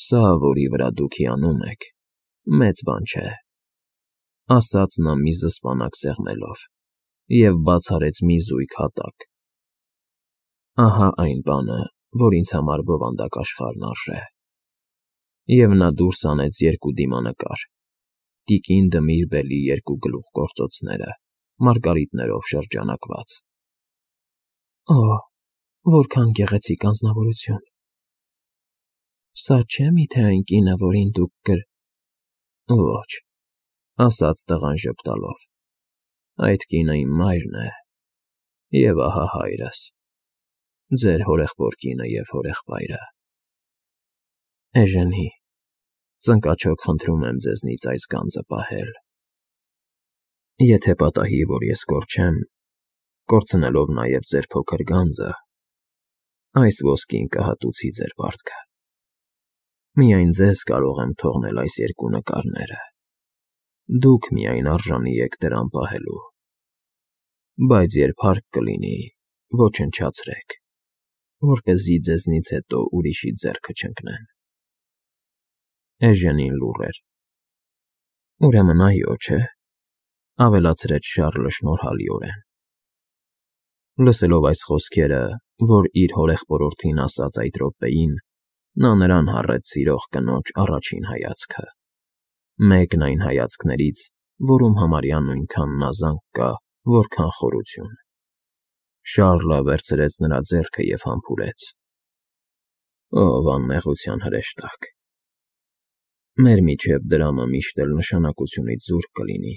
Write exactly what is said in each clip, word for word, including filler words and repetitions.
Սա, որի վրա դուք հիանում եք, մեծ բան չէ, ասաց նա մի զսպանակ սեղմելով և բաց արեց մի զույգ հատակ. ահա այն բանը, որ ինձ համար բովանդակ աշխարհն արժե, և նա դուրս հանեց երկու դիմանկար, տիկին Դմիրբելի երկու գլուխգործոցները, մարգարիտներով շրջանակված։ Օ՜, որքան գեղեցիկ անձնավորություն… Սա չէ՞ միթե այն կինը, որին դուք կր… Ոչ, ասաց տղան ժպտալով, այդ կինը իմ մայրն է, և ահա հայրս, ձեր հորեղբոր կինը և հորեղբայրը… Էժենի, ծնկաչոք խնդրում եմ ձեզնից այս գանձը պահել… Եթե պատահի, որ ես կորչեմ, կորցնելով նաև ձեր փոքր գանձը, այս ոսկին կհատուցի ձեր պարտքը… Միայն ձեզ կարող եմ թողնել այս երկու նկարները, դուք միայն արժանի եք դրան պահելու… Բայց երբ հարկ կլինի, ոչնչացրեք, որպեսզի ձեզնից հետո ուրիշի ձեռքը չընկնեն… Էժենին լուռ էր։ Ուրեմն այո, չէ՞, ավելացրեց Շառլը շնորհալիորեն։ Լսելով այս խոսքերը, որ իր հորեղբորորդին ասաց այդ րոպեին, նա նրան հառեց սիրող կնոջ առաջին հայացքը, մեկն այն հայացքներից, որում համարյա նույնքան մազանք կա, որքան խորություն… Շառլը վերցրեց նրա ձեռքը և համբուրեց. Ով անմեղության հրեշտակ… Մեր միջև դրամը միշտ էլ նշանակությունից զուրկ կլինի,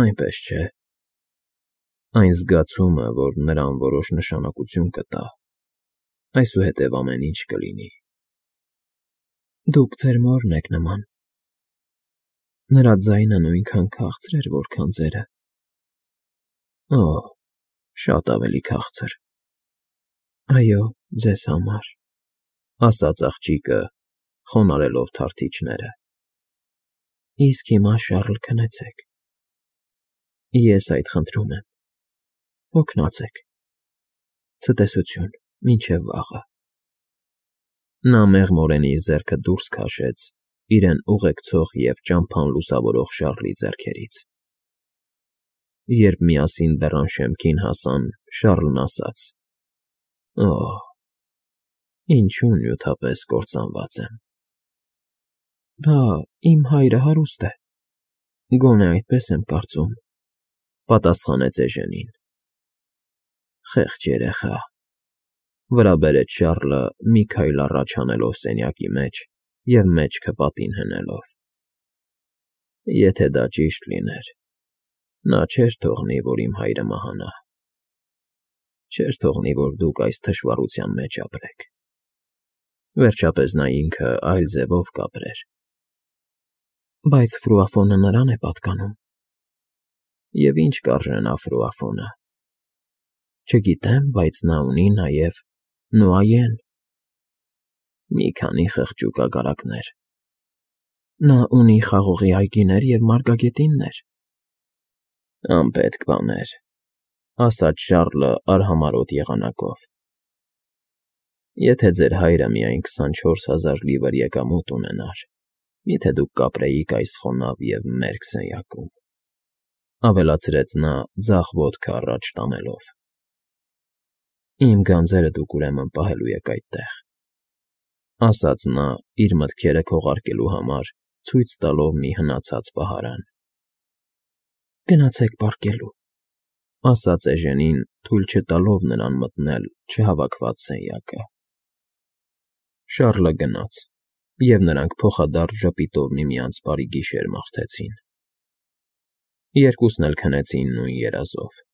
այնպես չէ՞… Այն զգացումը, որ նրան որոշ նշանակություն կտա, այսուհետև ամեն ինչ կլինի… Դուք ձեր մորն եք նման… Նրա ձայնը նույնքան քաղցր էր, որքան ձերը… Օ՜, շատ ավելի քաղցր… Այո, ձեզ համար, ասաց աղջիկը, խոնարհելով թարթիչները… Իսկ հիմա, Շառլ, քնեցեք… Ես այդ խնդրում եմ… Հոգնած եք… Ցտեսություն, մինչև վաղը… Նա մեղմորեն իր ձեռքը դուրս քաշեց իրեն ուղեկցող և ճամփան լուսավորող Շառլի ձեռքերից… Երբ միասին դռան շեմքին հասան, Շառլն ասաց. Օ՜, ինչու նյութապես կործանված եմ… Բա, իմ հայրը հարուստ է… Գոնե այդպես եմ կարծում, պատասխանեց էժենին… Խեղճ երեխա… Վրա բերեց Շառլը, մի քայլ առաջ հանելով սենյակի մեջ և մեջքը պատին հնելով… Եթե դա ճիշտ լիներ, նա չէր թողնի, որ իմ հայրը մահանա… Չէր թողնի, որ դուք այս թշվառության մեջ ապրեք… Վերջապես նա ինքը այլ ձևով կապրեր… Բայց Ֆրուաֆոնը նրան է պատկանում… Եվ ինչ կարժե նա Ֆրուաֆոնը… Չգիտեմ, բայց նա ունի նաև Նուայեն… Մի քանի խղճուկ ագարակներ… Նա ունի խաղողի այգիներ և մարգագետիններ… Անպետք բաներ… Ասաց Շառլը արհամարհոտ եղանակով… Եթե ձեր հայրը միայն քսանչորս հազար լիվր եկամուտ ունենար, մի՞թե դուք կապրեիք այս խոնավ և մերկ սենյակում… Ավելացրեց նա ձախ ոտքը առաջ տանելով… Իմ գանձերը դուք ուրեմն պահելու եք այդտեղ… Ասաց նա, իր մտքերը քողարկելու համար ցույց տալով մի հնացած պահարան… Գնացեք պառկելու… Ասաց էժենին, թույլ չտալով նրան մտնել չհավաքված սենյակը… Շառլը գնաց, և նրանք փոխադարձ ժպիտով միմյանց բարի գիշեր մաղթեցին… Երկուսն էլ քնեցին նույն երազով,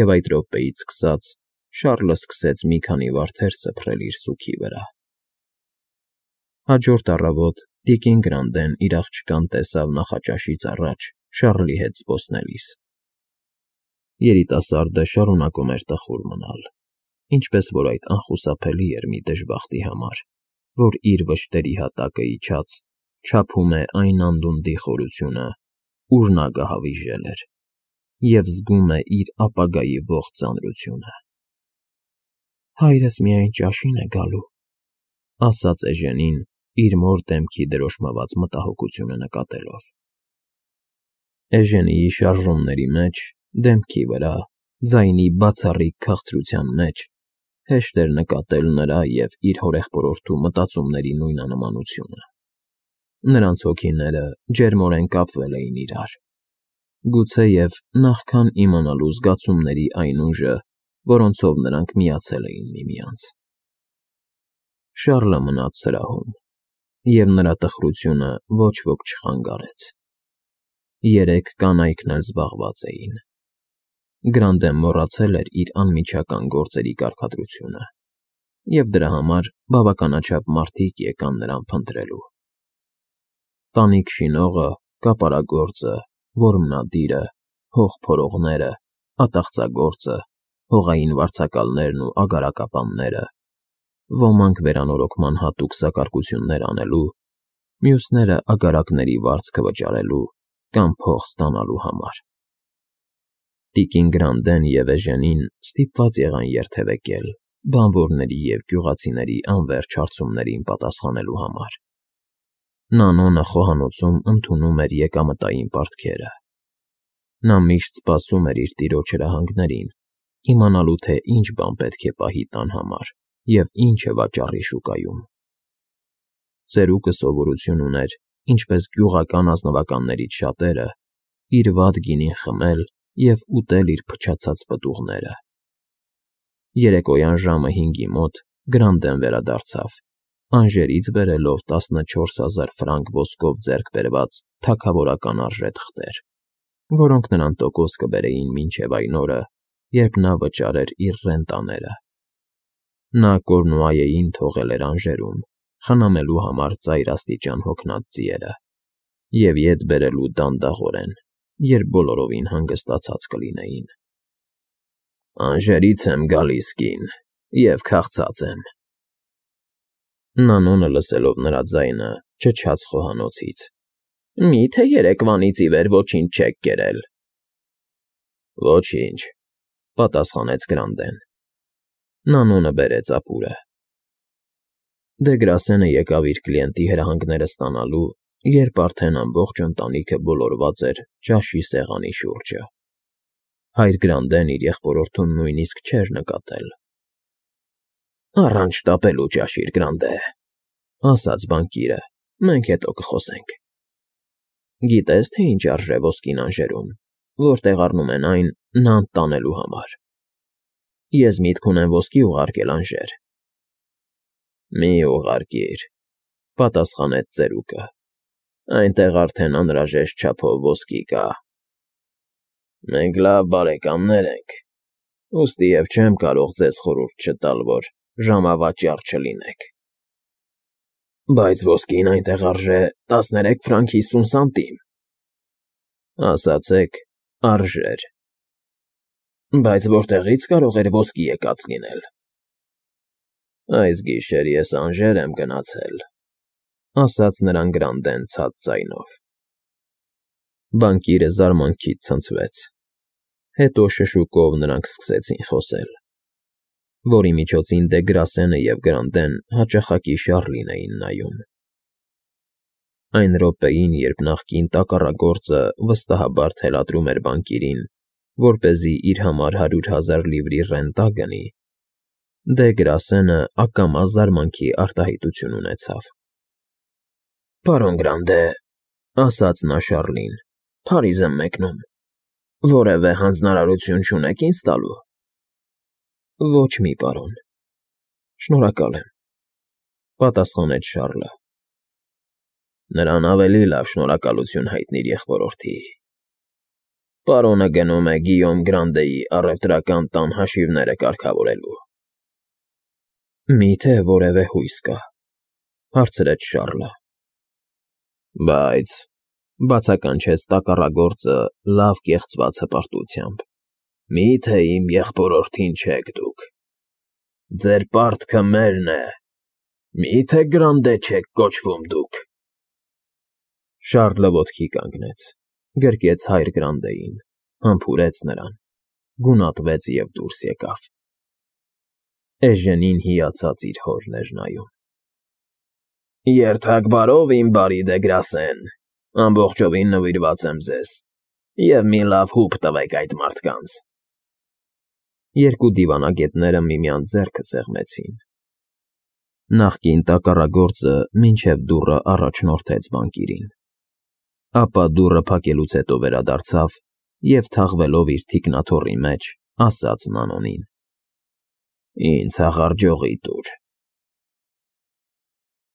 և այդ րոպեից սկսած Շառլը սկսեց մի քանի վարդեր սփռել իր սուգի վրա… Հաջորդ առավոտ տիկին Գրանդեն իր աղջկան տեսավ նախաճաշից առաջ Շառլի հետ զբոսնելիս… Երիտասարդը շարունակում էր տխուր մնալ, ինչպես որ այդ անխուսափելի էր մի դժբախտի համար, որ իր վշտերի հատակը իջած, չափում է այն անդունդի խորությունը, ուր նա գահավիժել էր, և զգում է իր ապագայի ողջ ծանրությունը… Հայրս միայն ճաշին է գալու… Ասաց էժենին, իր մոր դեմքի դրոշմված մտահոգությունը նկատելով։ Էժենիի շարժումների մեջ, դեմքի վրա, ձայնի բացառիկ քաղցրության մեջ հեշտ էր նկատել նրա և իր հորեղբորորդու մտածումների նույնանմանությունը։ Նրանց հոգիները ջերմորեն կապվել էին իրար, գուցեև նախքան իմանալու զգացումների այն ուժը, որոնցով նրանք միացել էին միմյանց։ Շառլը մնաց սրահում, և նրա տխրությունը ոչ ոք չխանգարեց։ Երեք կանայքն էլ զբաղված էին։ Գրանդեն մոռացել էր իր անմիջական գործերի կարգադրությունը, և դրա համար բավականաչափ մարդիկ եկան նրան փնտրելու։ Տանիք շինողը, կապարագործը, որմնադիրը, հող փորողները, ատաղձագործը, հողային վարձակալներն ու ագարակապանները, ոմանք վերանորոգման հատուկ սակարկություններ անելու, մյուսները ագարակների վարձքը վճարելու կամ փող ստանալու համար։ Տիկին Գրանդեն և Էժենին ստիպված եղան երթևեկել, բանվորների և գյուղացիների անվերջ հարցումներին պատասխանելու համար։ Նանոնը խոհանոցում ընդունում էր եկամտային պարտքերը։ Նա միշտ սպասում էր իր տիրոջ հրահանգներին, իմանալու, թե ինչ բան պետք է պահի տան համար և ինչը վաճառի շուկայում։ Ծերուկը սովորություն ուներ, ինչպես գյուղական ազնվականներից շատերը, իր վատ գինին խմել և ուտել իր փչացած պտուղները։ Երեկոյան ժամը հինգի մոտ Գրանդեն վերադարձավ, Անժերից բերելով տասնչորս հազար ֆրանկ ոսկով ձեռք բերված թագավորական արժե թղթեր, որոնք նրան տոկոս կբերեին մինչև այն օրը, երբ նա վճարեր իր ռենտաները։ Նա Կորնուայեին թողել էր Անժերում, խնամելու համար ծայրաստիճան հոգնած ձիերը և ետ բերելու դանդաղորեն, երբ բոլորովին հանգստացած կլինեին։ «Անժերից եմ գալիս, կին, և քաղցած եմ,֊ Նանոնը, լսելով նրա ձայնը, չչաց խոհանոցից,֊ Մի՞թե երեկվանից ի վեր ոչինչ չեք կերել»։ «Ոչինչ,֊ պատասխանեց Գրանդեն։ Նանոնը բերեց ապուրը։ Դեգրասենը եկավ իր կլիենտի հրահանգները ստանալու, երբ արդեն ամբողջ ընտանիքը բոլորված էր ճաշի սեղանի շուրջը։ Հայր Գրանդեն իր եղբորորդուն նույնիսկ չէր նկատել։ «Առանց շտապելու ճաշիր, Գրանդե,֊ ասաց բանկիրը,֊ մենք հետո կխոսենք։ Գիտե՞ս, թե ինչ արժե ոսկին Անժերում, որտեղ առնում են այն նանտ տանելու համար։ Ես միտք ունեմ ոսկի ուղարկել Անժեր»։ «Մի ուղարկիր,֊ պատասխանեց ծերուկը,֊ այնտեղ արդեն անհրաժեշտ չափով ոսկի կա։ Մենք լավ բարեկամներ ենք, ուստիև չեմ կարող ձեզ խորհուրդ չտալ, որ ժամավաճառ չլինեք։ Բայց ոսկին այնտեղ արժե տասներեք ֆրանկ հիսուն սանտիմ։ Ասացեք՝ արժեր։ Բայց որտեղի՞ց կարող էր ոսկի եկած լինել։ Այս գիշեր ես Անժեր եմ գնացել,֊ ասաց նրան Գրանդեն ցած ձայնով։ Բանկիրը զարմանքից ցնցվեց։ Հետո շշուկով նրանք սկսեցին խոսել, որի միջոցին Դեգրասենը և Գրանդեն հաճախակի Շառլին էին նայում։ Այն րոպեին, երբ նախկին տակառագործը վստահաբար թելադրում էր բանկիրին, որպեսզի իր համար հարյուր հազար լիվրի ռենտա գնի, Դեգրասենը ակամա զարմանքի արտահայտություն ունեցավ։ «Պարոն Գրանդե,֊ ասաց նա Շառլին,֊ Փարիզ եմ մեկնում, որևէ հանձնարարություն չունե՞ք ինձ տալու»։ «Ոչ մի, պարոն, շնորհակալ եմ,֊ պատասխանեց Շառլը։ «Նրան ավելի լավ շնորհակալություն հայտնիր եղբորորդի։ Պարոնը գնում է Գիյոմ Գրանդեի առևտրական տան հաշիվները կարգավորելու»։ «Մի՞թե որևէ հույս կա,֊ հարցրեց Շառլը։ Բայց,֊ բացականչեց տակառագործը լավ կեղծված հպարտությամբ,֊ մի՞թե իմ եղբորորդին չեք դուք։ Ձեր պարտքը մերն է, մի՞թե Գրանդե չեք կոչվում դուք։ Շառլը ոտքի կանգնեց, գրկեց հայր Գրանդեին, համբուրեց նրան, գունատվեց և դուրս եկավ։ Էժենին հիացած իր հորն էր նայում։ Երթակ բարով, իմ բարի Դեգրասեն, ամբողջովին նվիրված եմ ձեզ, և մի լավ հուպ տվեք այդ մարդկանց… Երկու դիվանագետները միմյանց ձեռքը սեղմեցին. նախկին տակառագործը մինչև դուռը առաջնորդեց բանկիրին, ապա դուռը փակելուց հետո վերադարձավ և, թաղվելով իր թիկնաթոռի մեջ, ասաց Նանոն. ֊ Ինձ հաղարջողի տուր։